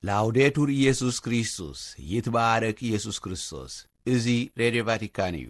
ላውዴቱር ኢየሱስ ክርስቶስ፣ ይትባረክ ኢየሱስ ክርስቶስ። እዚ ሬድዮ ቫቲካን እዩ።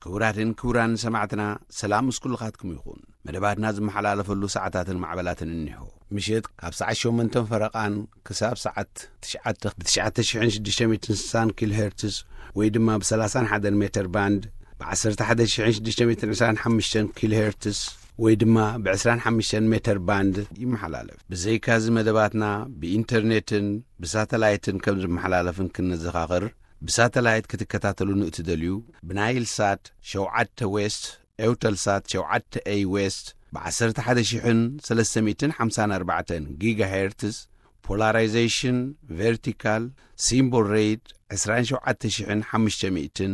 ክቡራትን ክቡራን ሰማዕትና፣ ሰላም ምስ ኩልኻትኩም ይኹን። መደባትና ዝመሓላለፈሉ ሰዓታትን ማዕበላትን እኒሆ። ምሽት ካብ ሰዓት ሸሞንተን ፈረቓን ክሳብ ሰዓት ትሽዓተ ብ ትሽዓተ ሽሕን ሽዱሽተ ሚእትን ስሳን ኪሎ ሄርትዝ ወይ ድማ ብ ሰላሳን ሓደን ሜተር ባንድ፣ ብ ዓሰርተ ሓደ ሽሕን ሽዱሽተ ሚእትን ዕስራን ሓሙሽተን ኪሎ ሄርትዝ ወይ ድማ ብ ዕስራን ሓሙሽተን ሜተር ባንድ ይመሓላለፍ። ብዘይካዚ መደባትና ብኢንተርኔትን ብሳተላይትን ከም ዝመሓላለፍን ክንዘኻኽር፣ ብሳተላይት ክትከታተሉ ንእትደልዩ፣ ብናይል ሳት ሸውዓተ ዌስት፣ ኤውተል ሳት ሸውዓተ ኤይ ዌስት፣ ብ ዓሰርተ ሓደ ሽሕን ሰለስተ ሚእትን ሓምሳን ኣርባዕተን ጊጋ ሄርትዝ፣ ፖላራይዜሽን ቨርቲካል፣ ሲምቦል ሬት ዕስራን ሸውዓተ ሽሕን ሓሙሽተ ሚእትን፣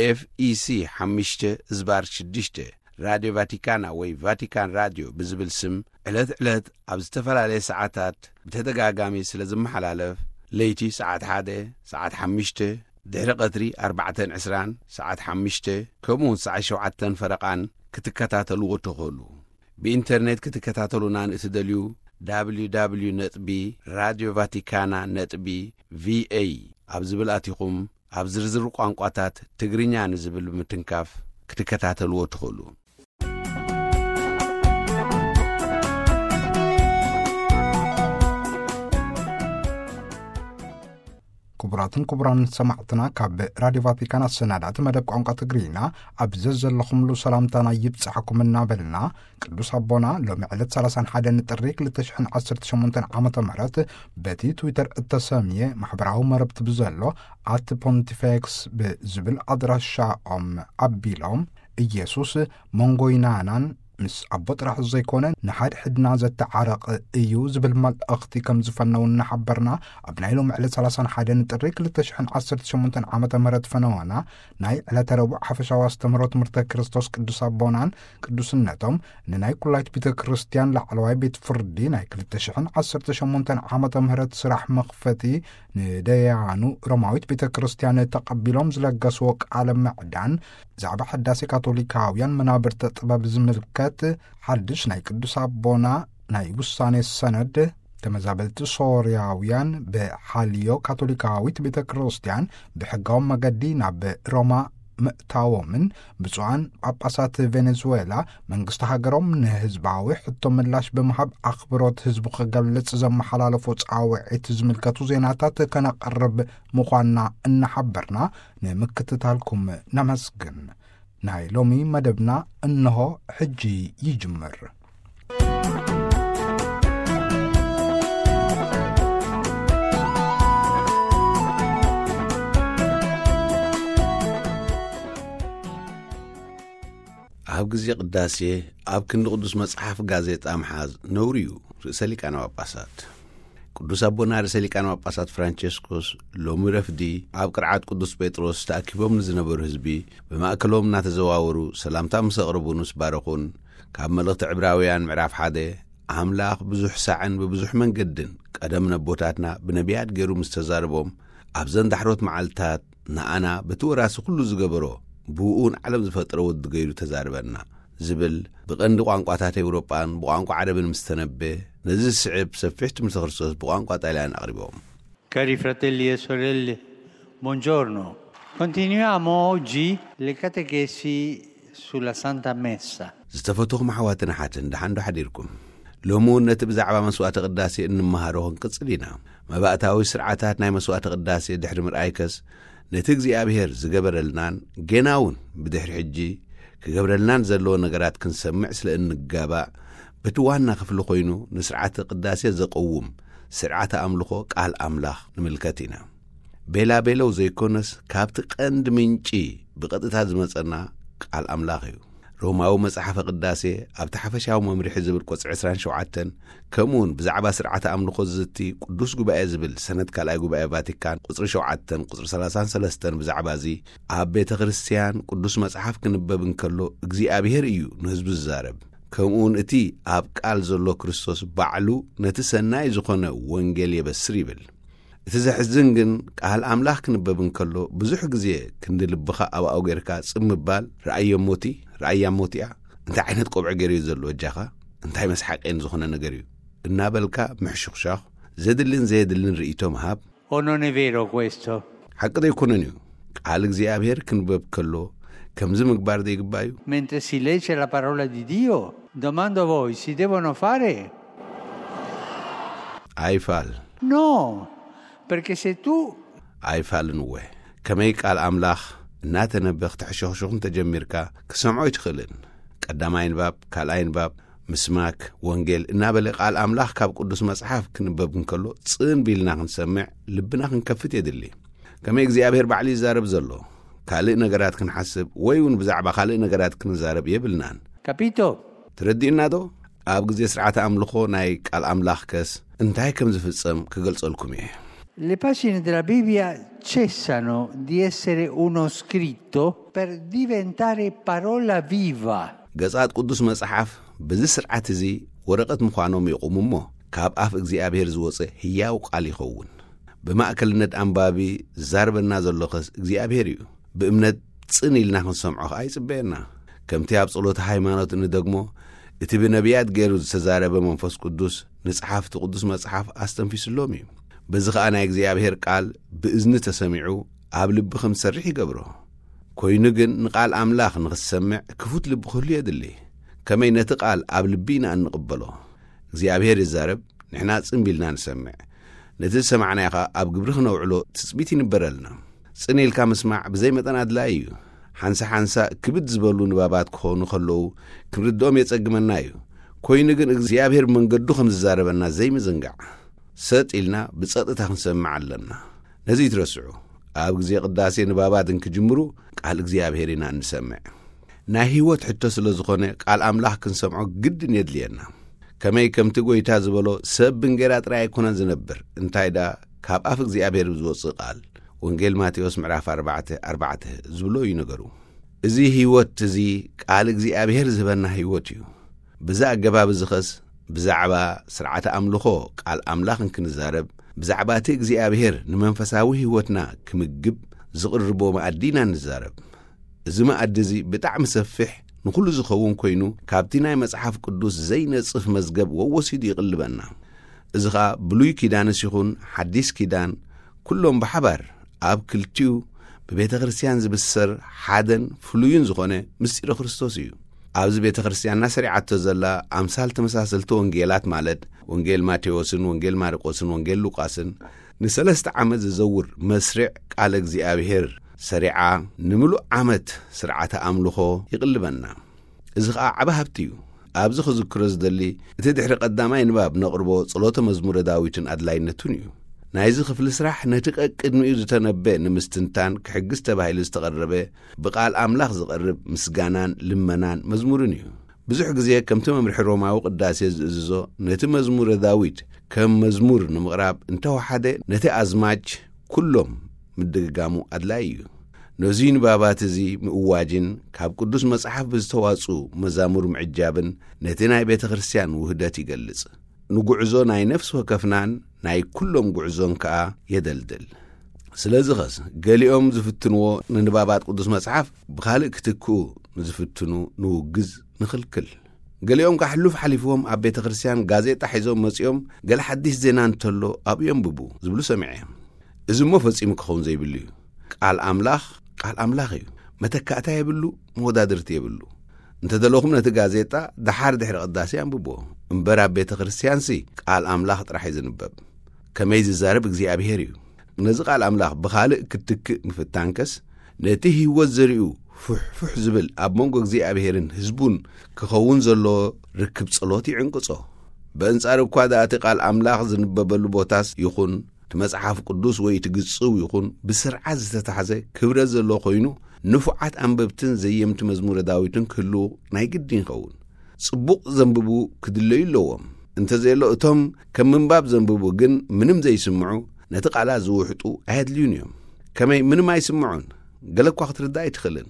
ኤፍ ኢ ሲ ሓሙሽተ ዝባር ሽዱሽተ፣ ራድዮ ቫቲካና ወይ ቫቲካን ራድዮ ብዝብል ስም ዕለት ዕለት ኣብ ዝተፈላለየ ሰዓታት ብተደጋጋሚ ስለ ዝመሓላለፍ፣ ለይቲ ሰዓት ሓደ፣ ሰዓት ሓሙሽተ፣ ድሕሪ ቀትሪ ኣርባዕተን ዕስራን፣ ሰዓት ሓሙሽተ፣ ከምኡውን ሰዓት ሸውዓተን ፈረቓን ክትከታተልዎ ትኽእሉ። ብኢንተርኔት ክትከታተሉና ንእትደልዩ፣ www ነጥቢ ራድዮ ቫቲካና ነጥቢ ቪኤ ኣብ ዝብል ኣቲኹም፣ ኣብ ዝርዝር ቋንቋታት ትግርኛ ንዝብል ብምትንካፍ ክትከታተልዎ ትኽእሉ። ክቡራትን ክቡራን ሰማዕትና፣ ካብ ራድዮ ቫቲካን ኣሰናዳእቲ መደብ ቋንቋ ትግርኛ ኣብ ዘዘለኹምሉ ሰላምታና ይብጻሕኩም እናበልና፣ ቅዱስ ኣቦና ሎሚ ዕለት ሰላሳን ሓደን ጥሪ ክልተ ሽሕን ዓሰርተ ሸሞንተን ዓመተ ምህረት በቲ ትዊተር እተሰምየ ማሕበራዊ መረብቲ ብዘሎ ኣት ፖንቲፌክስ ብዝብል ኣድራሻኦም ኣቢሎም፣ ኢየሱስ መንጎይናናን ምስ ኣቦ ጥራሕ ዘይኮነ ንሓድሕድና ዘተዓረቕ እዩ ዝብል መልእኽቲ ከም ዝፈነው እናሓበርና፣ ኣብ ናይ ሎሚ ዕለት ሰላሳን ሓደን ጥሪ ክልተ ሽሕን ዓሰርተ ሸሞንተን ዓመተ ምህረት ፈነወና ናይ ዕለተ ረቡዕ ሓፈሻዊ ኣስተምህሮ ትምህርተ ክርስቶስ ቅዱስ ኣቦናን ቅዱስነቶም ንናይ ኩላይት ቤተ ክርስቲያን ላዕለዋይ ቤት ፍርዲ ናይ ክልተ ሽሕን ዓሰርተ ሸሞንተን ዓመተ ምህረት ስራሕ መኽፈቲ ንደያኑ ሮማዊት ቤተ ክርስቲያን ተቐቢሎም ዝለገስዎ ቃለ ምዕዳን ብዛዕባ ሕዳሴ ካቶሊካውያን መናብርተ ጥበብ ዝምልከት ሓድሽ ናይ ቅዱስ ኣቦና ናይ ውሳኔ ሰነድ፣ ተመዛበልቲ ሶርያውያን ብሓልዮ ካቶሊካዊት ቤተ ክርስቲያን ብሕጋዊ መገዲ ናብ ሮማ ምእታዎምን ብፁዓን ጳጳሳት ቬኔዙዌላ መንግስቲ ሃገሮም ንህዝባዊ ሕቶ ምላሽ ብምሃብ ኣኽብሮት ህዝቡ ክገልጽ ዘመሓላለፎ ጻውዒት ዝምልከቱ ዜናታት ከነቕርብ ምዃንና እናሓበርና፣ ንምክትታልኩም ነመስግን። ናይ ሎሚ መደብና እንሆ ሕጂ ይጅምር። ኣብ ግዜ ቅዳሴ ኣብ ክንዲ ቅዱስ መጽሓፍ ጋዜጣ ምሓዝ ነውሪ እዩ። ርእሰ ሊቃነ ጳጳሳት ቅዱስ ኣቦና ርእሰ ሊቃነ ጳጳሳት ፍራንቸስኮስ ሎሚ ረፍዲ ኣብ ቅርዓት ቅዱስ ጴጥሮስ ተኣኪቦም ንዝነበሩ ህዝቢ ብማእከሎም እናተዘዋወሩ ሰላምታ ምስ ኣቕረቡ ምስ ባረኹን፣ ካብ መልእኽቲ ዕብራውያን ምዕራፍ ሓደ፣ ኣምላኽ ብዙሕ ሳዕን ብብዙሕ መንገድን ቀደም ነቦታትና ብነቢያት ገይሩ ምስ ተዛረቦም፣ ኣብዘን ዳሕሮት መዓልትታት ንኣና በቲ ወራሲ ኩሉ ዝገበሮ ብእኡ ንዓለም ዝፈጠረ ወዲ ገይሩ ተዛርበና ዝብል ብቐንዲ ቋንቋታት ኤውሮጳን ብቋንቋ ዓረብን ምስ ተነበ፣ ነዚ ዝስዕብ ሰፊሕ ትምህርቲ ክርስቶስ ብቋንቋ ጣልያን ኣቕሪቦም። Cari fratelli e sorelle, buongiorno. Continuiamo oggi le catechesi sulla Santa Messa. ዝተፈትኹም ኣሕዋትን ኣሓትን፣ ደሓን ዶ ሓዲርኩም? ሎሚ እውን ነቲ ብዛዕባ መስዋዕተ ቅዳሴ እንመሃሮ ክንቅጽል ኢና። መባእታዊ ስርዓታት ናይ መስዋዕተ ቅዳሴ ድሕሪ ምርኣይከስ፣ ነቲ እግዚኣብሔር ዝገበረልናን ጌና እውን ብድሕሪ ሕጂ ክገብረልናን ዘለዎ ነገራት ክንሰምዕ ስለ እንጋባእ፣ በቲ ዋና ክፍሊ ኮይኑ ንስርዓተ ቅዳሴ ዘቐውም ስርዓተ ኣምልኾ ቃል ኣምላኽ ንምልከት ኢና። ቤላ ቤለው ዘይኮነስ፣ ካብቲ ቀንዲ ምንጪ ብቐጥታ ዝመጸና ቃል ኣምላኽ እዩ። ሮማዊ መጽሓፈ ቅዳሴ ኣብቲ ሓፈሻዊ መምርሒ ዝብል ቁጽሪ ዕስራን ሸውዓተን፣ ከምኡውን ብዛዕባ ስርዓተ ኣምልኾ ዝዝቲ ቅዱስ ጉባኤ ዝብል ሰነድ ካልኣይ ጉባኤ ቫቲካን ቁጽሪ ሸውዓተን ቁጽሪ ሰላሳን ሰለስተን ብዛዕባ እዚ፣ ኣብ ቤተ ክርስቲያን ቅዱስ መጽሓፍ ክንበብ እንከሎ እግዚኣብሔር እዩ ንህዝቡ ዝዛረብ። ከምኡውን እቲ ኣብ ቃል ዘሎ ክርስቶስ ባዕሉ ነቲ ሰናይ ዝኾነ ወንጌል የበስር ይብል። እቲ ዘሕዝን ግን ቃል ኣምላኽ ክንበብ እንከሎ ብዙሕ ግዜ ክንዲ ልብኻ ኣብኣኡ ጌርካ ጽም ምባል፣ ረኣዮ እሞ እቲ፣ ረኣያ እሞ እቲኣ፣ እንታይ ዓይነት ቆብዒ ገይሩ እዩ ዘሎ በጃኻ፣ እንታይ መስሓቄን ዝኾነ ነገር እዩ እናበልካ ምሕሹኽሻኽ፣ ዘድልን ዘየድልን ርእይቶ ምሃብ። O non è vero questo? ሓቂ ዘይኮነን እዩ። ቃል እግዚኣብሔር ክንበብ ከሎ ከምዚ ምግባር ዘይግባእ እዩ። Mentre si legge la parola di Dio, domando a voi, si devono fare? ኣይፋል። No, perché se tu ኣይፋልን እወ። ከመይ ቃል ኣምላኽ እናተነበኽ ተሕሸኽሽኹ እንተጀሚርካ ክሰምዖ ኣይትኽእልን። ቀዳማይ ንባብ፣ ካልኣይ ንባብ፣ ምስማክ፣ ወንጌል እናበለ ቃል ኣምላኽ ካብ ቅዱስ መጽሓፍ ክንበብ እንከሎ ጽን ቢልና ክንሰምዕ ልብና ክንከፍት የድሊ። ከመይ እግዚኣብሔር ባዕሉ ይዛረብ ዘሎ፣ ካልእ ነገራት ክንሓስብ ወይ እውን ብዛዕባ ካልእ ነገራት ክንዛረብ የብልናን። Capito? ተረዲእና ዶ? ኣብ ግዜ ስርዓተ ኣምልኾ ናይ ቃል ኣምላኽ ከስ እንታይ ከም ዝፍጸም ክገልጸልኩም እየ። Le pagine della Bibbia cessano di essere uno scritto per diventare parola viva. ገጻት ቅዱስ መጽሓፍ በዚ ስርዓት እዚ ወረቐት ምዃኖም ይቑሙ እሞ፣ ካብ ኣፍ እግዚኣብሔር ዝወጸ ህያው ቃል ይኸውን። ብማእከልነት ኣንባቢ ዝዛረበና ዘሎ ኸስ እግዚኣብሔር እዩ። ብእምነት ጽን ኢልና ክንሰምዖ ኸኣ ይጽበየና። ከምቲ ኣብ ጸሎተ ሃይማኖት እንደግሞ፣ እቲ ብነቢያት ገይሩ ዝተዛረበ መንፈስ ቅዱስ ንጸሓፍቲ ቅዱስ መጽሓፍ ኣስተንፊስሎም እዩ። በዚ ኸኣ ናይ እግዚኣብሔር ቃል ብእዝኒ ተሰሚዑ ኣብ ልቢ ከም ዝሰርሕ ይገብሮ። ኮይኑ ግን ንቓል ኣምላኽ ንኽትሰምዕ ክፉት ልቢ ክህሉ የድሊ። ከመይ ነቲ ቃል ኣብ ልቢ ኢና እንቕበሎ። እግዚኣብሔር ይዛረብ፣ ንሕና ጽን ቢልና ንሰምዕ። ነቲ ዝሰማዕናዮ ኸኣ ኣብ ግብሪ ክነውዕሎ ትጽቢት ይንበረልና። ጽን ኢልካ ምስማዕ ብዘይ መጠን ኣድላዪ እዩ። ሓንሳ ሓንሳ ክብድ ዝበሉ ንባባት ክኾኑ ከለዉ ክንርድኦም የጸግመና እዩ። ኮይኑ ግን እግዚኣብሔር መንገዱ ከም ዝዛረበና ዘይምዝንጋዕ። ሰጥ ኢልና ብጸጥታ ክንሰምዕ ኣለና። ነዚ ይትረስዑ። ኣብ ግዜ ቅዳሴ ንባባት እንክጅምሩ ቃል እግዚኣብሔር ኢና እንሰምዕ። ናይ ህይወት ሕቶ ስለ ዝኾነ ቃል ኣምላኽ ክንሰምዖ ግድን የድልየና። ከመይ ከምቲ ጐይታ ዝበሎ ሰብ ብእንጌራ ጥራይ ኣይኮነን ዝነብር፣ እንታይ ደኣ ካብ ኣፍ እግዚኣብሔር ብዝወጽእ ቃል። ወንጌል ማቴዎስ ምዕራፍ ኣርባዕተ ኣርባዕተ ዝብሎ እዩ ነገሩ። እዚ ህይወት እዚ ቃል እግዚኣብሔር ዝህበና ህይወት እዩ። ብዛ ኣገባብ እዚ ኸስ ብዛዕባ ስርዓተ ኣምልኾ ቃል ኣምላኽ እንክንዛረብ፣ ብዛዕባ እቲ እግዚኣብሔር ንመንፈሳዊ ህይወትና ክምግብ ዝቕርቦ መኣዲ ኢና ንዛረብ። እዚ መኣዲ እዚ ብጣዕሚ ሰፊሕ ንኹሉ ዝኸውን ኮይኑ፣ ካብቲ ናይ መጽሓፍ ቅዱስ ዘይነጽፍ መዝገብ ወወሲዱ ይቕልበና። እዚ ኸኣ ብሉይ ኪዳንስ ይኹን ሓዲስ ኪዳን፣ ኩሎም ብሓባር ኣብ ክልቲኡ ብቤተ ክርስቲያን ዝብሰር ሓደን ፍሉይን ዝኾነ ምስጢረ ክርስቶስ እዩ። ኣብዚ ቤተ ክርስቲያንና ሰሪዓቶ ዘላ ኣምሳል ተመሳሰልቲ ወንጌላት ማለት ወንጌል ማቴዎስን ወንጌል ማርቆስን ወንጌል ሉቃስን ንሰለስተ ዓመት ዝዘውር መስርዕ ቃለ እግዚኣብሔር ሰሪዓ ንምሉእ ዓመት ስርዓተ ኣምልኾ ይቕልበና። እዚ ኸኣ ዓቢ ሃብቲ እዩ። ኣብዚ ክዝክሮ ዝደሊ እቲ ድሕሪ ቀዳማይ ንባብ ነቕርቦ ጸሎተ መዝሙረ ዳዊትን ኣድላይነቱን እዩ። ናይዚ ክፍሊ ስራሕ ነቲ ቀቅድሚኡ ዝተነበ ንምስትንታን ክሕግዝ ተባሂሉ ዝተቐረበ ብቓል ኣምላኽ ዝቐርብ ምስጋናን ልመናን መዝሙርን እዩ። ብዙሕ ግዜ ከምቲ መምርሒ ሮማዊ ቅዳሴ ዝእዝዞ ነቲ መዝሙረ ዳዊት ከም መዝሙር ንምቕራብ እንተወሓደ ነቲ ኣዝማች ኩሎም ምድግጋሙ ኣድላዪ እዩ። ነዚ ንባባት እዚ ምእዋጅን ካብ ቅዱስ መጽሓፍ ብዝተዋጽኡ መዛሙር ምዕጃብን ነቲ ናይ ቤተ ክርስቲያን ውህደት ይገልጽ። ንጉዕዞ ናይ ነፍሲ ወከፍናን ናይ ኩሎም ጉዕዞን ከኣ የደልድል። ስለዚ ኸስ ገሊኦም ዝፍትንዎ ንንባባት ቅዱስ መጽሓፍ ብኻልእ ክትክኡ ንዝፍትኑ ንውግዝ ንኽልክል። ገሊኦም ከኣ ሕሉፍ ሓሊፍዎም ኣብ ቤተ ክርስቲያን ጋዜጣ ሒዞም መጺኦም ገለ ሓዲስ ዜና እንተሎ ኣብኡ የንብቡ ዝብሉ ሰሚዐ። እዚ እሞ ፈጺሙ ክኸውን ዘይብሉ እዩ። ቃል ኣምላኽ ቃል ኣምላኽ እዩ። መተካእታ የብሉ፣ መወዳድርቲ የብሉ። እንተ ደለኹም ነቲ ጋዜጣ ደሓር ድሕሪ ቅዳሴ ኣንብብዎ። እምበር ኣብ ቤተ ክርስቲያንሲ ቃል ኣምላኽ ጥራሕ እዩ ዝንበብ። ከመይ ዝዛረብ እግዚኣብሔር እዩ። ነዚ ቃል ኣምላኽ ብኻልእ ክትክእ ምፍታንከስ ነቲ ህይወት ዘሪኡ ፉሕፉሕ ዝብል ኣብ መንጎ እግዚኣብሔርን ህዝቡን ክኸውን ዘሎ ርክብ ጸሎት ይዕንቅጾ። በእንጻር እኳ ደኣ እቲ ቃል ኣምላኽ ዝንበበሉ ቦታስ ይኹን እቲ መጽሓፍ ቅዱስ ወይ እቲ ግጽው ይኹን ብስርዓት ዝተታሕዘ ክብረት ዘለዎ ኮይኑ ንፉዓት ኣንበብትን ዘየምቲ መዝሙረ ዳዊትን ክህልዉ ናይ ግድን ይኸውን። ጽቡቕ ዘንብቡ ክድለዩ ኣለዎም። እንተዘየሎ እቶም ከም ምንባብ ዘንብቡ ግን ምንም ዘይስምዑ ነቲ ቃላት ዝውሕጡ ኣየድልዩን እዮም። ከመይ ምንም ኣይስምዑን? ገለ እኳ ክትርዳእ ኣይትኽእልን።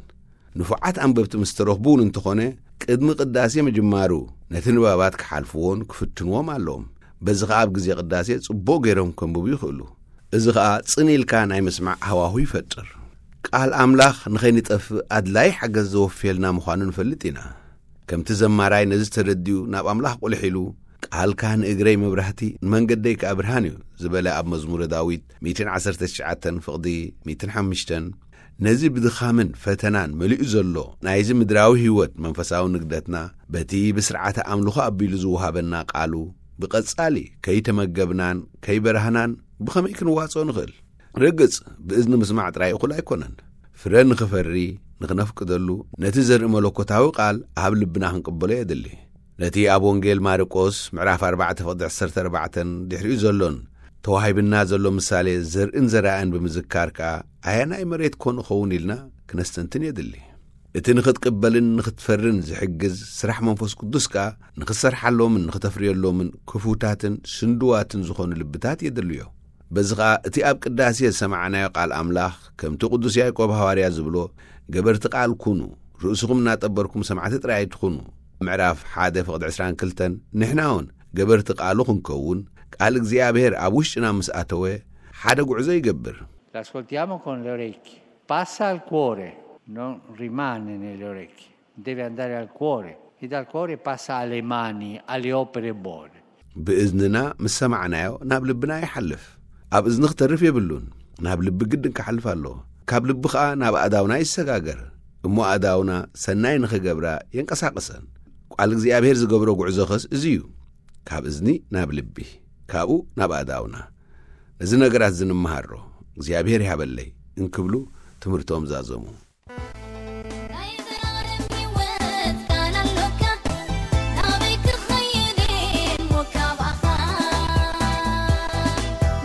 ንፉዓት ኣንበብቲ ምስ ተረኽቡ እውን እንተኾነ ቅድሚ ቅዳሴ ምጅማሩ ነቲ ንባባት ክሓልፍዎን ክፍትንዎም ኣለዎም። በዚ ኸኣ ኣብ ግዜ ቅዳሴ ጽቡቕ ገይሮም ከንብቡ ይኽእሉ። እዚ ኸኣ ጽን ኢልካ ናይ ምስማዕ ሃዋሁ ይፈጥር። ቃል ኣምላኽ ንኸይንጠፍእ ኣድላይ ሓገዝ ዘወፍየልና ምዃኑ ንፈልጥ ኢና። ከምቲ ዘማራይ ነዚ ተረዲኡ ናብ ኣምላኽ ቁልሕ ኢሉ፣ "ቃልካ ንእግረይ መብራህቲ፣ ንመንገደይ ከኣ ብርሃን እዩ" ዝበለ ኣብ መዝሙረ ዳዊት ሚእትን ዓሰርተ ትሽዓተን ፍቕዲ ሚእትን ሓሙሽተን፣ ነዚ ብድኻምን ፈተናን መሊኡ ዘሎ ናይዚ ምድራዊ ህይወት መንፈሳዊ ንግደትና በቲ ብስርዓተ ኣምልኾ ኣቢሉ ዝወሃበና ቃሉ ብቐጻሊ ከይተመገብናን ከይበራህናን ብኸመይ ክንዋጽኦ ንኽእል? ርግጽ፣ ብእዝኒ ምስማዕ ጥራይ እኹል ኣይኮነን። ፍረ ንኽፈሪ፣ ንኽነፍቅደሉ፣ ነቲ ዘርኢ መለኮታዊ ቃል ኣብ ልብና ክንቅበሎ የድሊ። ነቲ ኣብ ወንጌል ማርቆስ ምዕራፍ ኣርባዕተ ፍቕዲ ዕስራን ኣርባዕተን ድሕሪኡ ዘሎን ተዋሂብና ዘሎ ምሳሌ ዘርእን ዘራእን ብምዝካር ከኣ፣ ኣየናይ መሬት ኮን እኸውን ኢልና ክነስተንትን የድሊ። እቲ ንኽትቅበልን ንኽትፈርን ዝሕግዝ ስራሕ መንፈስ ቅዱስ ከኣ፣ ንኽትሰርሓሎምን ንኽተፍርየሎምን ክፉታትን ስንድዋትን ዝኾኑ ልብታት የድልዮ። በዚ ኸኣ እቲ ኣብ ቅዳሴ ዝሰማዕናዮ ቃል ኣምላኽ፣ ከምቲ ቅዱስ ያዕቆብ ሃዋርያ ዝብሎ፣ "ገበርቲ ቃል ኩኑ፣ ርእስኹም እናጠበርኩም ሰማዕቲ ጥራይ ኣይትኹኑ" ምዕራፍ ሓደ ፍቕዲ ዕስራን ክልተን፣ ንሕና እውን ገበርቲ ቃሉ ክንከውን፣ ቃል እግዚኣብሔር ኣብ ውሽጥና ምስ ኣተወ፣ ሓደ ጉዕዞ ይገብር። L'ascoltiamo con le orecchie. Passa al cuore, non rimane nelle orecchie. Deve andare al cuore. E dal cuore passa alle mani, alle opere buone. ብእዝንና ምስ ሰማዕናዮ ናብ ልብና ይሓልፍ። ኣብ እዝኒ ክተርፍ የብሉን። ናብ ልቢ ግድን ክሓልፍ ኣለዎ። ካብ ልቢ ኸኣ ናብ ኣእዳውና ይሰጋገር። እሞ ኣእዳውና ሰናይ ንኽገብራ የንቀሳቕሰን። ቃል እግዚኣብሔር ዝገብሮ ጉዕዞ ኸስ እዚ እዩ። ካብ እዝኒ ናብ ልቢ፣ ካብኡ ናብ ኣእዳውና። ነዚ ነገራት እዚ ንምሃሮ እግዚኣብሔር ይሃበለይ እንክብሉ ትምህርቶም ዛዘሙ። ናይ ዘላለም ህይወት ቃል ኣሎካ፣ ናበይ ክኸይድ እየ እሞ ካባኻ?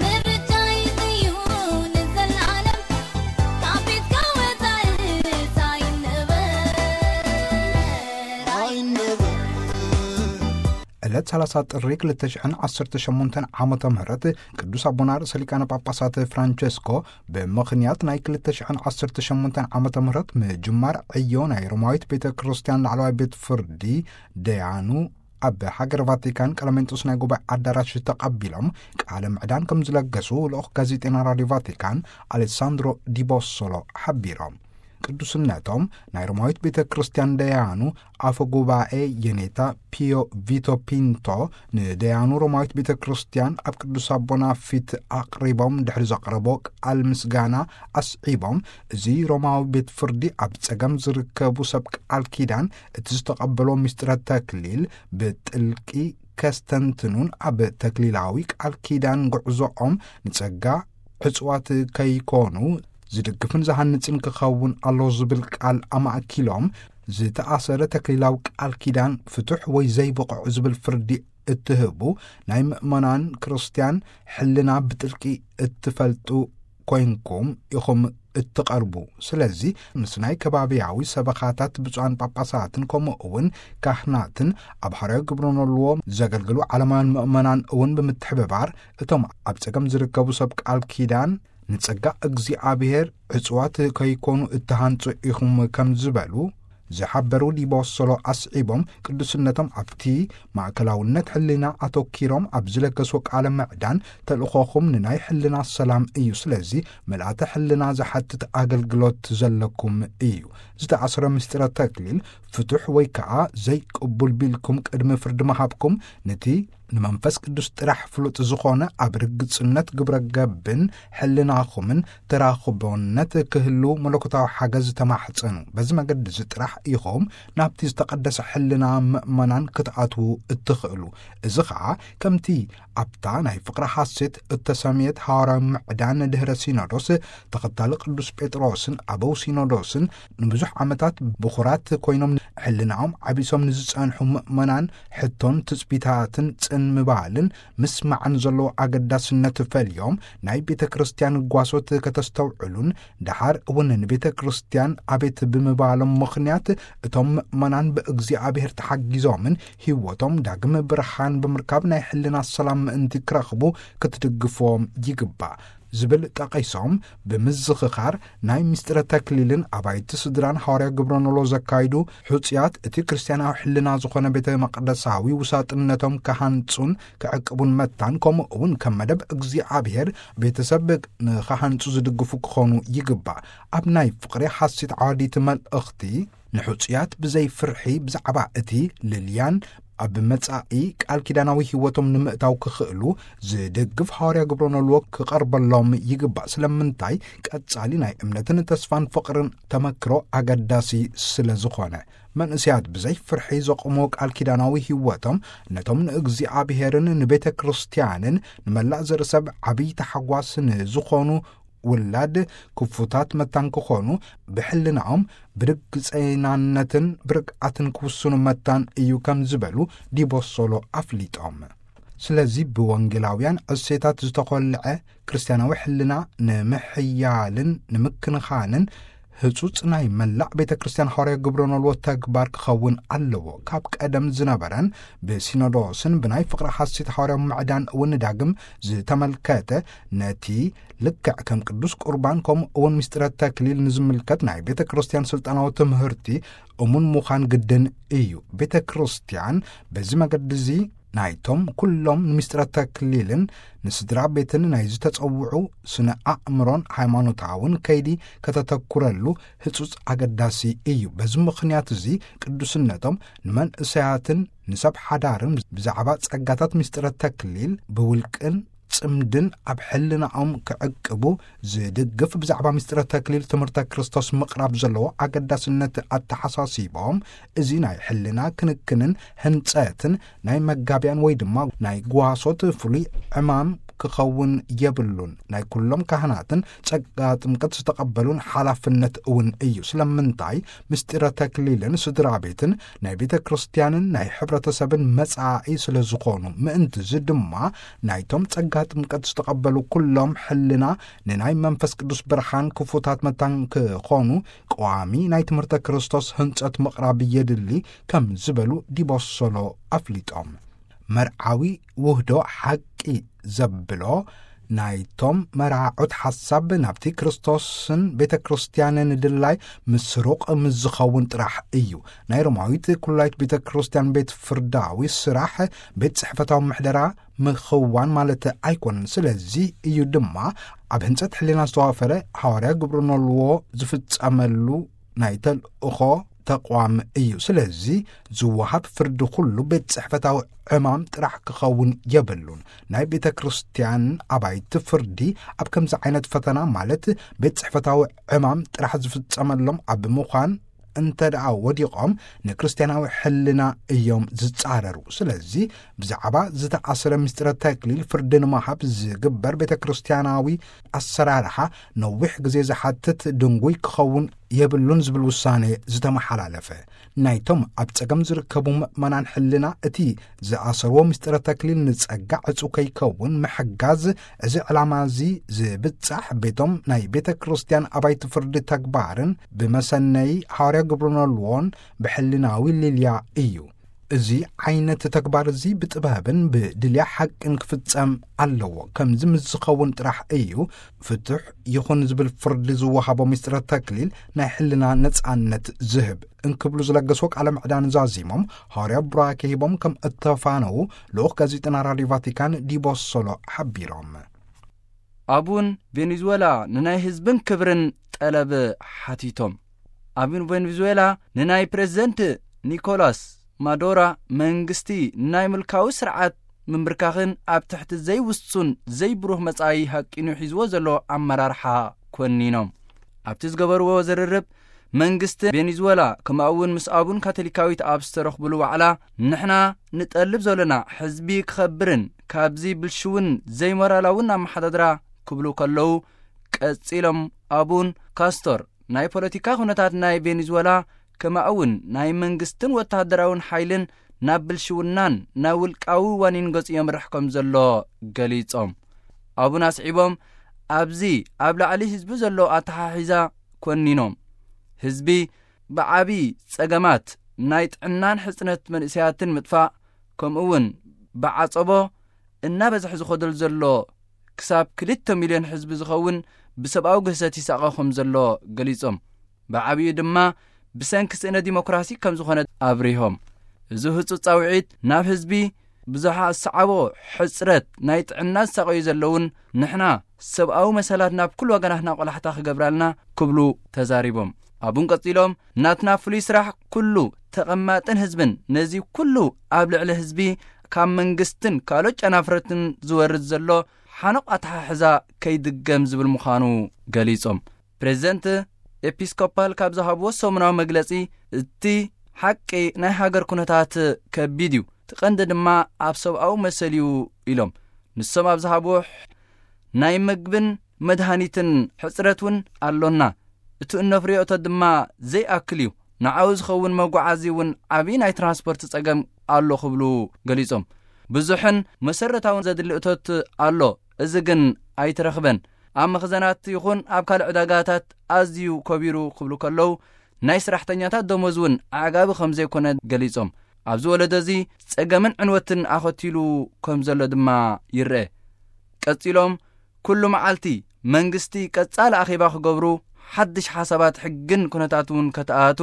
ምርጫይ እዩ ንዘላለም፣ ካብ ቤትካ ወጻኢ ኣይንበር። ዕለት ሰላሳ ጥሪ ክልተ ሽሕን ዓሰርተ ሸሞንተን ዓመተ ምህረት ቅዱስ ኣቦና ርእሰ ሊቃነ ጳጳሳት ፍራንቸስኮ ብምኽንያት ናይ ክልተ ሽሕን ዓሰርተ ሸሞንተን ዓመተ ምህረት ምጅማር ዕዮ ናይ ሮማዊት ቤተ ክርስቲያን ላዕለዋይ ቤት ፍርዲ ደያኑ ኣብ ሃገር ቫቲካን ቀለሜንጦስ ናይ ጉባኤ ኣዳራሽ ተቐቢሎም ቃለ ምዕዳን ከም ዝለገሱ ልኡኽ ጋዜጠና ራድዮ ቫቲካን ኣሌሳንድሮ ዲቦሶሎ ሓቢሮም። ቅዱስነቶም ናይ ሮማዊት ቤተ ክርስቲያን ደያኑ ኣፈ ጉባኤ የኔታ ፒዮ ቪቶ ፒንቶ ንደያኑ ሮማዊት ቤተ ክርስቲያን ኣብ ቅዱስ ኣቦና ፊት ኣቕሪቦም ድሕሪ ዘቕረቦ ቃል ምስጋና ኣስዒቦም፣ እዚ ሮማዊ ቤት ፍርዲ ኣብ ጸገም ዝርከቡ ሰብ ቃል ኪዳን እቲ ዝተቐበሎ ምስጢረ ተክሊል ብጥልቂ ከስተንትኑን ኣብ ተክሊላዊ ቃል ኪዳን ጉዕዞኦም ንጸጋ ዕጽዋት ከይኮኑ ዝድግፍን ዝሃንጽን ክኸውን ኣሎ ዝብል ቃል ኣማእኪሎም፣ ዝተኣሰረ ተክሊላዊ ቃል ኪዳን ፍቱሕ ወይ ዘይብቑዕ ዝብል ፍርዲ እትህቡ ናይ ምእመናን ክርስትያን ሕልና ብጥልቂ እትፈልጡ ኮይንኩም ኢኹም እትቐርቡ። ስለዚ ምስ ናይ ከባብያዊ ሰበኻታት ብፁዓን ጳጳሳትን ከምኡ እውን ካህናትን ኣብ ሓራዊ ግብረ ኖልዎ ዘገልግሉ ዓለማውያን ምእመናን እውን ብምትሕብባር እቶም ኣብ ጸገም ዝርከቡ ሰብ ቃል ኪዳን ንጸጋ እግዚኣብሔር ዕጽዋት ከይኮኑ እተሃንጹ ኢኹም ከም ዝበሉ ዝሓበሩ ዲቦሶሎ ኣስዒቦም፣ ቅዱስነቶም ኣብቲ ማእከላውነት ሕልና ኣተኪሮም ኣብ ዝለገስዎ ቃለ ምዕዳን ተልእኾኹም ንናይ ሕልና ሰላም እዩ። ስለዚ ምልኣተ ሕልና ዝሓትት ኣገልግሎት ዘለኩም እዩ። ዝተኣስረ ምስጢረ ተክሊል ፍቱሕ ወይ ከኣ ዘይቅቡል ቢልኩም ቅድሚ ፍርዲ ምሃብኩም ነቲ ንመንፈስ ቅዱስ ጥራሕ ፍሉጥ ዝኾነ ኣብ ርግጽነት ግብረ ገብን ሕልናኹምን ተራኽቦነት ክህሉ መለኮታዊ ሓገዝ ተማሕጸኑ። በዚ መገዲ እዚ ጥራሕ ኢኹም ናብቲ ዝተቐደሰ ሕልና ምእመናን ክትኣትዉ እትኽእሉ። እዚ ኸኣ ከምቲ ኣብታ ናይ ፍቕሪ ሓሴት እተሰምየት ሃዋርያዊ ምዕዳን ድህረ ሲኖዶስ ተኸታሊ ቅዱስ ጴጥሮስን ኣበው ሲኖዶስን ንብዙሕ ዓመታት ብኹራት ኮይኖም ሕልናኦም ዓቢሶም ንዝጸንሑ ምእመናን ሕቶን ትጽቢታትን ጽን ምባልን ምስማዕን ዘለዎ ኣገዳስነት ፈልዮም፣ ናይ ቤተ ክርስቲያን ጓሶት ከተስተውዕሉን ደሓር እውን ንቤተ ክርስቲያን ኣቤት ብምባሎም ምኽንያት፣ እቶም ምእመናን ብእግዚኣብሔር ተሓጊዞምን ህይወቶም ዳግም ብርሃን ብምርካብ ናይ ሕልና ሰላም ምእንቲ ክረኽቡ ክትድግፍዎም ይግባእ ዝብል ጠቒሶም፣ ብምዝኽኻር ናይ ምስጢረ ተክሊልን ኣባይቲ ስድራን ሃዋርያ ግብረ ኖሎ ዘካይዱ ሕጹያት እቲ ክርስቲያናዊ ሕልና ዝኾነ ቤተ መቕደሳዊ ውሳጥነቶም ክሃንጹን ክዕቅቡን መታን፣ ከምኡ እውን ከም መደብ እግዚኣብሔር ቤተሰብ ንኽሃንጹ ዝድግፉ ክኾኑ ይግባእ። ኣብ ናይ ፍቕሪ ሓሲት ዓዋዲት መልእኽቲ፣ ንሕጹያት ብዘይ ፍርሒ ብዛዕባ እቲ ልልያን ኣብ መጻኢ ቃል ኪዳናዊ ህይወቶም ንምእታው ክኽእሉ ዝድግፍ ሃዋርያ ግብረ ኖልዎ ክቐርበሎም ይግባእ። ስለምንታይ? ቀጻሊ ናይ እምነትን ተስፋን ፍቕርን ተመክሮ ኣገዳሲ ስለ ዝኾነ። መንእሰያት ብዘይ ፍርሒ ዘቑሞ ቃል ኪዳናዊ ህይወቶም ነቶም ንእግዚኣብሔርን ንቤተ ክርስቲያንን ንመላእ ዘርእሰብ ዓብዪ ተሓጓስ ንዝኾኑ ውላድ ክፉታት መታን ክኾኑ፣ ብሕልናኦም ብርግጸይናነትን ብርግኣትን ክውስኑ መታን እዩ ከም ዝበሉ ዲቦሶሎ ኣፍሊጦም። ስለዚ ብወንጌላውያን እሴታት ዝተኾልዐ ክርስቲያናዊ ሕልና ንምሕያልን ንምክንኻንን ህጹጽ ናይ መላእ ቤተ ክርስቲያን ሃዋርያ ግብረ ኖልዎ ተግባር ክኸውን ኣለዎ። ካብ ቀደም ዝነበረን ብሲኖዶስን ብናይ ፍቕሪ ሓሲት ሃዋርያዊ ምዕዳን እውን ዳግም ዝተመልከተ፣ ነቲ ልክዕ ከም ቅዱስ ቁርባን ከምኡ እውን ምስጢረ ተክሊል ንዝምልከት ናይ ቤተ ክርስቲያን ስልጣናዊ ትምህርቲ እሙን ምዃን ግድን እዩ። ቤተ ክርስቲያን በዚ መገዲ እዚ ናይቶም ኩሎም ንምስጢረ ተክሊልን ንስድራ ቤትን ናይ ዝተጸውዑ ስነ ኣእምሮን ሃይማኖታውን ከይዲ ከተተኩረሉ ህጹጽ ኣገዳሲ እዩ። በዚ ምኽንያት እዚ ቅዱስነቶም ንመንእሰያትን ንሰብ ሓዳርን ብዛዕባ ጸጋታት ምስጢረ ተክሊል ብውልቅን ጽምድን ኣብ ሕልናኦም ክዕቅቡ ዝድግፍ ብዛዕባ ምስጢረ ተክሊል ትምህርተ ክርስቶስ ምቕራብ ዘለዎ ኣገዳስነት ኣተሓሳሲቦም፣ እዚ ናይ ሕልና ክንክንን ህንጸትን ናይ መጋቢያን ወይ ድማ ናይ ጓሶት ፍሉይ ዕማም ክኸውን የብሉን። ናይ ኩሎም ካህናትን ጸጋ ጥምቀት ዝተቐበሉን ሓላፍነት እውን እዩ። ስለምንታይ? ምስጢረ ተክሊልን ስድራ ቤትን ናይ ቤተ ክርስቲያንን ናይ ሕብረተሰብን መጻኢ ስለ ዝኾኑ፣ ምእንትዚ ድማ ናይቶም ጸጋ ጥምቀት ዝተቐበሉ ኩሎም ሕልና ንናይ መንፈስ ቅዱስ ብርሃን ክፉታት መታን ክኾኑ፣ ቀዋሚ ናይ ትምህርተ ክርስቶስ ህንጸት ምቕራብ የድሊ ከም ዝበሉ ዲቦሶሎ ኣፍሊጦም። መርዓዊ ውህዶ ሓቂ ዘብሎ ናይቶም መራዖት ሓሳብ ናብቲ ክርስቶስን ቤተ ክርስቲያንን ድላይ ምስሩቕ ምስ ዝኸውን ጥራሕ እዩ። ናይ ሮማዊት ኩላይት ቤተ ክርስቲያን ቤት ፍርዳዊ ስራሕ ቤት ጽሕፈታዊ ምሕደራ ምኽዋን ማለት ኣይኮነን። ስለዚ እዩ ድማ ኣብ ህንጸት ሕልና ዝተዋፈረ ሃዋርያ ግብረ ኖልዎ ዝፍጸመሉ ናይ ተልእኾ ተቋም እዩ። ስለዚ ዝወሃብ ፍርዲ ኩሉ ቤት ጽሕፈታዊ ዕማም ጥራሕ ክኸውን የብሉን። ናይ ቤተ ክርስቲያን ኣባይቲ ፍርዲ ኣብ ከምዚ ዓይነት ፈተና ማለት ቤት ጽሕፈታዊ ዕማም ጥራሕ ዝፍጸመሎም ኣብ ምዃን እንተ ደኣ ወዲቖም ንክርስቲያናዊ ሕልና እዮም ዝጻረሩ። ስለዚ ብዛዕባ ዝተኣስረ ምስጢረ ተክሊል ፍርዲ ንምሃብ ዝግበር ቤተ ክርስቲያናዊ ኣሰራርሓ ነዊሕ ግዜ ዝሓትት ድንጉይ ክኸውን የብሉን ዝብል ውሳኔ ዝተመሓላለፈ። ናይቶም ኣብ ጸገም ዝርከቡ ምእመናን ሕልና እቲ ዝኣሰርዎ ምስጢረ ተክሊል ንጸጋ ዕጹ ከይከውን ምሕጋዝ፣ እዚ ዕላማ እዚ ዝብጻሕ ቤቶም ናይ ቤተ ክርስቲያን ኣባይቲ ፍርዲ ተግባርን ብመሰነይ ሃዋርያ ግብረ ኖልዎን ብሕልናዊ ሊልያ እዩ። እዚ ዓይነት ተግባር እዚ ብጥበብን ብድልያ ሓቅን ክፍጸም ኣለዎ። ከምዚ ምስ ዝኸውን ጥራሕ እዩ ፍቱሕ ይኹን ዝብል ፍርዲ ዝወሃቦ ምስጢረ ተክሊል ናይ ሕልና ነጻነት ዝህብ። እንክብሉ ዝለገስዎ ቃለ ምዕዳን ዛዚሞም፣ ሃዋርያ ቡራኬ ሂቦም ከም እተፋነዉ ልኡኽ ጋዜጠና ራድዮ ቫቲካን ዲቦሶሎ ሓቢሮም። ኣቡን ቬኔዙዌላ ንናይ ህዝብን ክብርን ጠለብ ሓቲቶም። ኣቡን ቬኔዙዌላ ንናይ ፕሬዝደንት ኒኮላስ ማዶራ መንግስቲ ንናይ ምልካዊ ስርዓት ምምብርካኽን ኣብ ትሕቲ ዘይውሱን ዘይብሩህ መጻኢ ሃቂኑ ሒዝዎ ዘሎ ኣመራርሓ ኮኒኖም። ኣብቲ ዝገበርዎ ዝርርብ፣ መንግስቲ ቬኔዙዌላ ከምኡ እውን ምስ ኣቡን ካቶሊካዊት ኣብ ዝተረኽብሉ ዋዕላ፣ ንሕና ንጠልብ ዘለና ሕዝቢ ክኸብርን ካብዚ ብልሽውን ዘይሞራላውን ኣመሓዳድራ ክብሉ ከለዉ፣ ቀጺሎም ኣቡን ካስቶር ናይ ፖለቲካ ኩነታት ናይ ቬኔዙዌላ ከምኡ እውን ናይ መንግስትን ወተሃደራውን ሓይልን ናብ ብልሽውናን ናብ ውልቃዊ ዋኒን ገጹ የምርሕ ከም ዘሎ ገሊጾም። ኣቡን ኣስዒቦም፣ ኣብዚ ኣብ ላዕሊ ህዝቢ ዘሎ ኣተሓሒዛ ኮኒኖም፣ ህዝቢ ብዓቢ ጸገማት ናይ ጥዕናን ሕጽነት መንእሰያትን ምጥፋእ፣ ከምኡ እውን ብዓጸቦ እናበዝሐ ዝኸደሉ ዘሎ ክሳብ ክልተ ሚልዮን ህዝቢ ዝኸውን ብሰብኣዊ ግህሰት ይሳቐ ከም ዘሎ ገሊጾም፣ ብዓቢኡ ድማ ብሰንኪ ስእነ ዲሞክራሲ ከም ዝኾነ ኣብሪሆም። እዚ ህጹጽ ጻውዒት ናብ ህዝቢ ብዙሓ ዝሰዓቦ ሕጽረት ናይ ጥዕና ዝሳቐዩ ዘለውን ንሕና ሰብኣዊ መሰላት ናብ ኩሉ ወገናትና ቆላሕታ ክገብራልና ክብሉ ተዛሪቦም። ኣቡን ቀጺሎም፣ ናትና ፍሉይ ስራሕ ኩሉ ተቐማጥን ህዝብን ነዚ ኩሉ ኣብ ልዕሊ ህዝቢ ካብ መንግስትን ካልኦት ጨናፍረትን ዝወርድ ዘሎ ሓኖቕ ኣተሓሕዛ ከይድገም ዝብል ምዃኑ ገሊጾም። ፕሬዚደንት ኤፒስኮፓል ካብ ዝሃብዎ ሰሙናዊ መግለጺ፣ እቲ ሓቂ ናይ ሃገር ኩነታት ከቢድ እዩ፣ እቲ ቀንዲ ድማ ኣብ ሰብኣዊ መሰል እዩ ኢሎም። ንሶም ኣብ ዝሃብዎ፣ ናይ ምግብን መድሃኒትን ሕጽረት እውን ኣሎና፣ እቲ እነፍርዮ እቶት ድማ ዘይኣክል እዩ፣ ንዓኡ ዝኸውን መጓዓዚ እውን ዓብዪ ናይ ትራንስፖርት ጸገም ኣሎ ክብሉ ገሊጾም። ብዙሕን መሰረታውን ዘድሊ እቶት ኣሎ፣ እዚ ግን ኣይትረኽበን። ኣብ መኽዘናት ይኹን ኣብ ካልእ ዕዳጋታት ኣዝዩ ከቢሩ ክብሉ ከለዉ፣ ናይ ስራሕተኛታት ደሞዝ እውን ኣዕጋቢ ከም ዘይኮነ ገሊጾም፣ ኣብዚ ወለዶ እዚ ጸገምን ዕንወትን ኣኸቲሉ ከም ዘሎ ድማ ይረአ። ቀጺሎም፣ ኩሉ መዓልቲ መንግስቲ ቀጻሊ ኣኼባ ክገብሩ፣ ሓድሽ ሓሳባት ሕግን ኩነታት እውን ከተኣቱ፣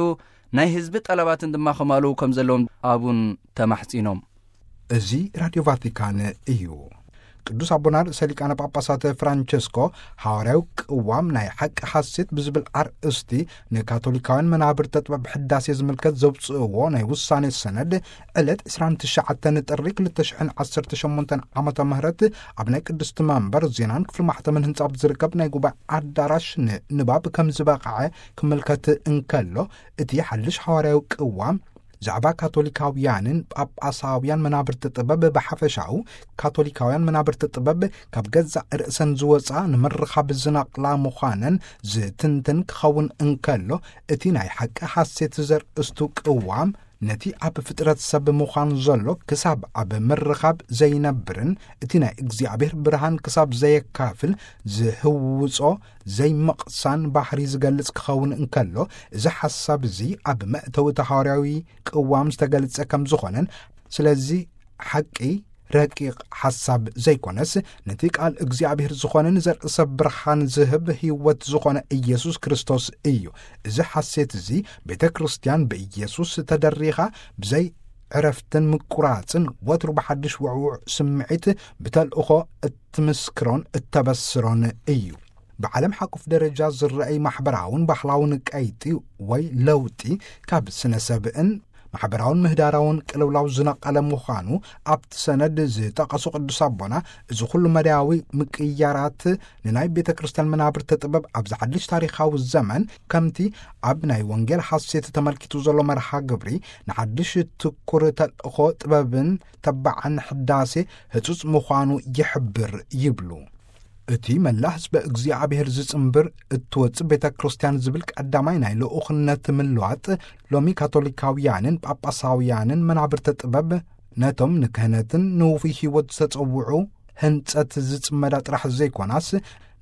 ናይ ህዝቢ ጠለባትን ድማ ከማልኡ ከም ዘለዎም ኣቡን ተማሕጺኖም። እዚ ራድዮ ቫቲካን እዩ። ቅዱስ ኣቦና ርእሰ ሊቃነ ጳጳሳት ፍራንቸስኮ፣ ሃዋርያዊ ቅዋም ናይ ሓቂ ሓሴት ብዝብል ኣርእስቲ ንካቶሊካውያን መናብርተ ጥበብ ሕዳሴ ዝምልከት ዘውፅእዎ ናይ ውሳኔ ሰነድ፣ ዕለት ዕስራን ትሽዓተን ጥሪ ክልተ ሽሕን ዓሰርተ ሸሞንተን ዓመተ ምህረት ኣብ ናይ ቅድስቲ መንበር ዜናን ክፍሊ ማሕተምን ህንጻ ኣብ ዝርከብ ናይ ጉባኤ ኣዳራሽ ንንባብ ከም ዝበቕዐ ክምልከት እንከሎ፣ እቲ ሓድሽ ሃዋርያዊ ቅዋም ዛዕባ ካቶሊካውያንን ጳጳሳውያን መናብርቲ ጥበብ ብሓፈሻኡ፣ ካቶሊካውያን መናብርቲ ጥበብ ካብ ገዛእ ርእሰን ዝወጻ ንምርኻብ ዝነቕላ ምዃነን ዝትንትን ክኸውን እንከሎ፣ እቲ ናይ ሓቂ ሓሴት ዘርእስቱ ቅዋም፣ ነቲ ኣብ ፍጥረት ሰብ ምዃን ዘሎ ክሳብ ኣብ ምርኻብ ዘይነብርን እቲ ናይ እግዚኣብሔር ብርሃን ክሳብ ዘየካፍል ዝህውጾ ዘይምቕሳን ባህሪ ዝገልጽ ክኸውን እንከሎ፣ እዚ ሓሳብ እዚ ኣብ መእተዊ እቲ ሃዋርያዊ ቅዋም ዝተገልጸ ከም ዝኾነን፣ ስለዚ ሓቂ ረቂቕ ሓሳብ ዘይኮነስ፣ ነቲ ቃል እግዚኣብሔር ዝኾነ ንዘርኢ ሰብ ብርሃን ዝህብ ህይወት ዝኾነ ኢየሱስ ክርስቶስ እዩ። እዚ ሓሴት እዚ ቤተ ክርስቲያን ብኢየሱስ ተደሪኻ ብዘይ ዕረፍትን ምቁራጽን ወትሩ ብሓድሽ ውዕውዕ ስምዒት ብተልእኾ እትምስክሮን እተበስሮን እዩ። ብዓለም ሓቁፍ ደረጃ ዝረኣይ ማሕበራውን ባህላውን ቀይጢ ወይ ለውጢ ካብ ስነ ሰብእን ማሕበራውን ምህዳራውን ቅልውላው ዝነቐለ ምዃኑ ኣብቲ ሰነድ ዝጠቐሱ ቅዱስ ኣቦና፣ እዚ ኩሉ መዳያዊ ምቅያራት ንናይ ቤተ ክርስቲያን መናብርቲ ጥበብ ኣብዚ ሓድሽ ታሪኻዊ ዘመን፣ ከምቲ ኣብ ናይ ወንጌል ሓሴት ተመልኪቱ ዘሎ መርሃ ግብሪ፣ ንሓድሽ ትኩር ተልእኾ ጥበብን ተባዕን ሕዳሴ ህጹጽ ምዃኑ ይሕብር ይብሉ። እቲ መላእ ህዝበ እግዚኣብሔር ዝጽንብር እትወጽእ ቤተ ክርስቲያን ዝብል ቀዳማይ ናይ ልኡኽነት ምልዋጥ፣ ሎሚ ካቶሊካውያንን ጳጳሳውያንን መናብርተ ጥበብ ነቶም ንክህነትን ንውፉይ ህይወት ዝተጸውዑ ህንጸት ዝጽመዳ ጥራሕ ዘይኮናስ፣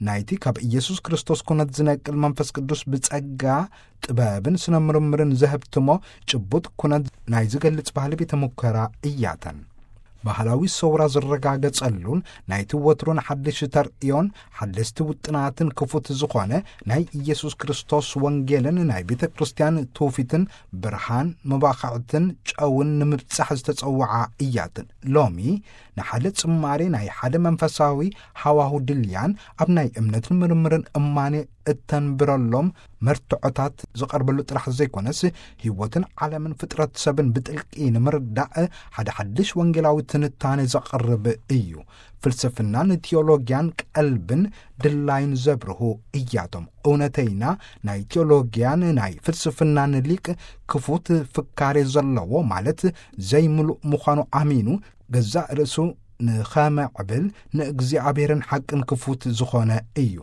ናይቲ ካብ ኢየሱስ ክርስቶስ ኩነት ዝነቅል መንፈስ ቅዱስ ብጸጋ ጥበብን ስነ ምርምርን ዘህብትሞ ጭቡጥ ኩነት ናይ ዝገልጽ ባህሊ ቤተ ሙከራ እያተን። ባህላዊ ሰውራ ዝረጋገጸሉን ናይቲ ወትሮን ሓድሽ ተርእዮን ሓደስቲ ውጥናትን ክፉት ዝኾነ ናይ ኢየሱስ ክርስቶስ ወንጌልን ናይ ቤተ ክርስቲያን ትውፊትን ብርሃን መባኽዕትን ጨውን ንምብጻሕ ዝተጸውዓ እያትን። ሎሚ ንሓደ ጽማሬ ናይ ሓደ መንፈሳዊ ሃዋሁ ድልያን ኣብ ናይ እምነትን ምርምርን እማኔ እተንብረሎም መርትዖታት ዝቐርበሉ ጥራሕ ዘይኮነስ፣ ህይወትን ዓለምን ፍጥረት ሰብን ብጥልቂ ንምርዳእ ሓደ ሓድሽ ወንጌላዊ ትንታኔ ዘቕርብ እዩ። ፍልስፍናን ቲዮሎጊያን ቀልብን ድላይን ዘብርሁ እያቶም። እውነተይና ናይ ቲዮሎጊያን ናይ ፍልስፍናን ሊቅ ክፉት ፍካሬ ዘለዎ፣ ማለት ዘይምሉእ ምዃኑ ኣሚኑ፣ ገዛእ ርእሱ ንኸመዕብል ንእግዚኣብሔርን ሓቅን ክፉት ዝኾነ እዩ።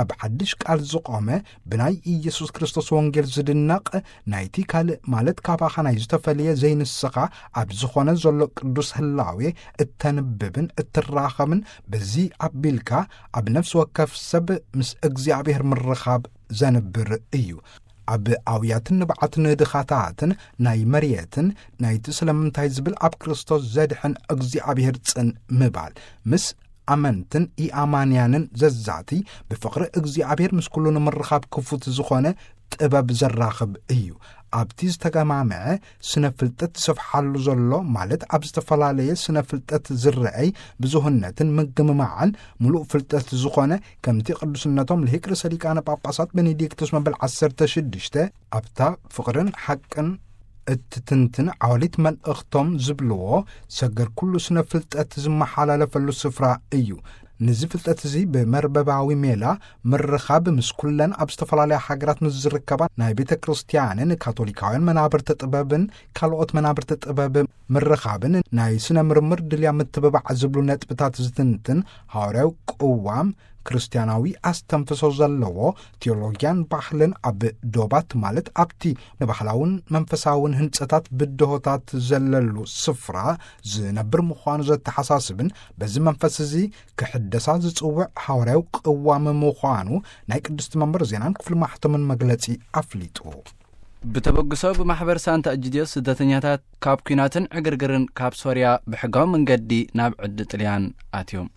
ኣብ ሓድሽ ቃል ዝቖመ ብናይ ኢየሱስ ክርስቶስ ወንጌል ዝድነቕ ናይቲ ካልእ ማለት ካባኻ ናይ ዝተፈልየ ዘይንስኻ ኣብ ዝኾነ ዘሎ ቅዱስ ህላዌ እተንብብን እትራኸብን በዚ ኣቢልካ ኣብ ነፍሲ ወከፍ ሰብ ምስ እግዚኣብሔር ምርኻብ ዘንብር እዩ። ኣብ ኣውያትን ንብዓትን ድኻታትን ናይ መርየትን ናይቲ ስለምንታይ ዝብል ኣብ ክርስቶስ ዘድሕን እግዚኣብሔር ጽን ምባል ምስ ኣመንትን ኢኣማንያንን ዘዛቲ ብፍቕሪ እግዚኣብሔር ምስ ኩሉ ንምርኻብ ክፉት ዝኾነ ጥበብ ዘራኽብ እዩ። ኣብቲ ዝተገማምዐ ስነ ፍልጠት ዝሰፍሓሉ ዘሎ ማለት ኣብ ዝተፈላለየ ስነ ፍልጠት ዝረአይ ብዙህነትን ምግምማዕን ምሉእ ፍልጠት ዝኾነ ከምቲ ቅዱስነቶም ልሂቅ ርእሰ ሊቃነ ጳጳሳት ቤኔዲክቶስ መበል ዓሰርተ ሽዱሽተ ኣብታ ፍቕርን ሓቅን እትትንትን ዓወሊት መልእኽቶም ዝብልዎ ሰገር ኩሉ ስነ ፍልጠት ዝመሓላለፈሉ ስፍራ እዩ። ነዚ ፍልጠት እዚ ብመርበባዊ ሜላ ምርኻብ ምስ ኩለን ኣብ ዝተፈላለያ ሃገራት ምስ ዝርከባ ናይ ቤተ ክርስቲያንን ካቶሊካውያን መናብርቲ ጥበብን ካልኦት መናብርቲ ጥበብ ምርኻብን ናይ ስነ ምርምር ድልያ ምትብባዕ ዝብሉ ነጥብታት ዝትንትን ሃዋርያዊ ቅዋም ክርስቲያናዊ ኣስተንፍሶ ዘለዎ ቴዎሎጊያን ባህልን ኣብ ዶባት ማለት ኣብቲ ንባህላውን መንፈሳውን ህንጸታት ብድሆታት ዘለሉ ስፍራ ዝነብር ምዃኑ ዘተሓሳስብን በዚ መንፈስ እዚ ክሕደሳ ዝጽውዕ ሃዋርያዊ ቅዋም ምዃኑ ናይ ቅድስቲ መንበር ዜናን ክፍሊ ማሕተምን መግለጺ ኣፍሊጡ። ብተበግሶ ብማሕበር ሳንታ እጅድዮ ስደተኛታት ካብ ኲናትን ዕግርግርን ካብ ሶርያ ብሕጋዊ መንገዲ ናብ ዕዲ ጥልያን ኣትዮም።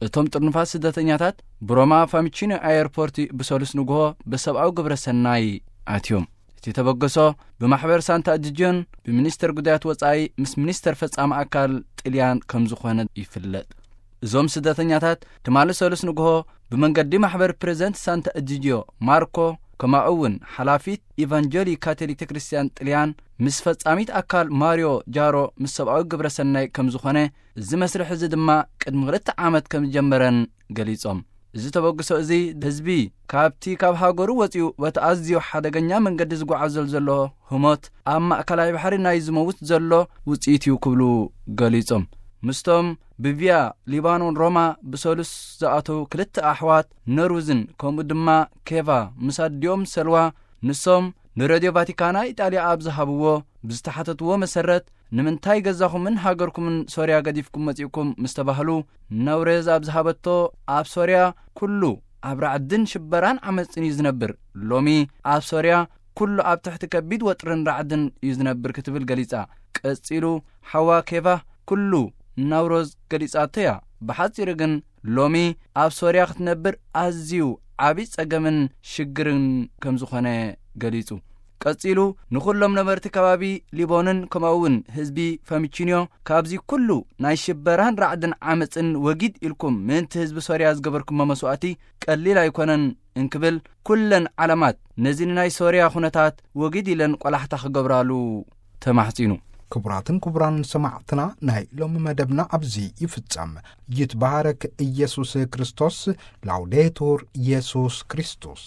እቶም ጥርኑፋት ስደተኛታት ብሮማ ፋሚቺኖ ኣየርፖርት ብሰሉስ ንግሆ ብሰብኣዊ ግብረ ሰናይ ኣትዮም። እቲ ተበገሶ ብማሕበር ሳንታ እጅድዮን ብሚኒስተር ጉዳያት ወጻኢ ምስ ሚኒስተር ፈጻሚ ኣካል ጥልያን ከም ዝኾነ ይፍለጥ። እዞም ስደተኛታት ትማሊ ሰሉስ ንግሆ ብመንገዲ ማሕበር ፕሬዝደንት ሳንታ እጅድዮ ማርኮ፣ ከምኡ እውን ሓላፊት ኢቫንጀሊ ካቶሊክ ቤተክርስትያን ጥልያን ምስ ፈጻሚት ኣካል ማርዮ ጃሮ ምስ ሰብኣዊ ግብረ ሰናይ ከም ዝኾነ፣ እዚ መስርሕ እዚ ድማ ቅድሚ ክልተ ዓመት ከም ዝጀመረን ገሊጾም። እዚ ተበግሶ እዚ ህዝቢ ካብቲ ካብ ሃገሩ ወጺኡ በቲ ኣዝዩ ሓደገኛ መንገዲ ዝጓዓዘሉ ዘሎ ህሞት ኣብ ማእከላይ ባሕሪ ናይ ዝመውት ዘሎ ውጽኢት እዩ ክብሉ ገሊጾም። ምስቶም ብቪያ ሊባኖን ሮማ ብሰሉስ ዝኣተዉ ክልተ ኣሕዋት ነሩዝን ከምኡ ድማ ኬቫ ምስ ኣዲኦም ሰልዋ፣ ንሶም ንሬድዮ ቫቲካና ኢጣልያ ኣብ ዝሃብዎ ብዝተሓተትዎ መሰረት፣ ንምንታይ ገዛኹምን ሃገርኩምን ሶርያ ገዲፍኩም መጺእኩም ምስ ተባህሉ፣ ነውሬዝ ኣብ ዝሃበቶ፣ ኣብ ሶርያ ኩሉ ኣብ ራዕድን ሽበራን ዓመጽን እዩ ዝነብር። ሎሚ ኣብ ሶርያ ኩሉ ኣብ ትሕቲ ከቢድ ወጥርን ራዕድን እዩ ዝነብር ክትብል ገሊጻ። ቀጺሉ ሓዋ ኬቫ ኩሉ ናውሮዝ ገሊጻቶ እያ። ብሓጺሩ ግን ሎሚ ኣብ ሶርያ ክትነብር ኣዝዩ ዓቢ ጸገምን ሽግርን ከም ዝኾነ ገሊጹ። ቀጺሉ ንኹሎም ነበርቲ ከባቢ ሊቦንን ከምኡ እውን ህዝቢ ፈሚቺንዮ ካብዚ ኩሉ ናይ ሽበራን ራዕድን ዓመጽን ወጊድ ኢልኩም ምእንቲ ህዝቢ ሶርያ ዝገበርኩሞ መስዋእቲ ቀሊል ኣይኮነን እንክብል ኩለን ዓለማት ነዚ ንናይ ሶርያ ኩነታት ወጊድ ኢለን ቆላሕታ ክገብራሉ ተማሕጺኑ። ክቡራትን ክቡራን ሰማዕትና ናይ ሎሚ መደብና ኣብዚ ይፍጸም። ይትባረክ ኢየሱስ ክርስቶስ። ላውዴቱር ኢየሱስ ክርስቶስ።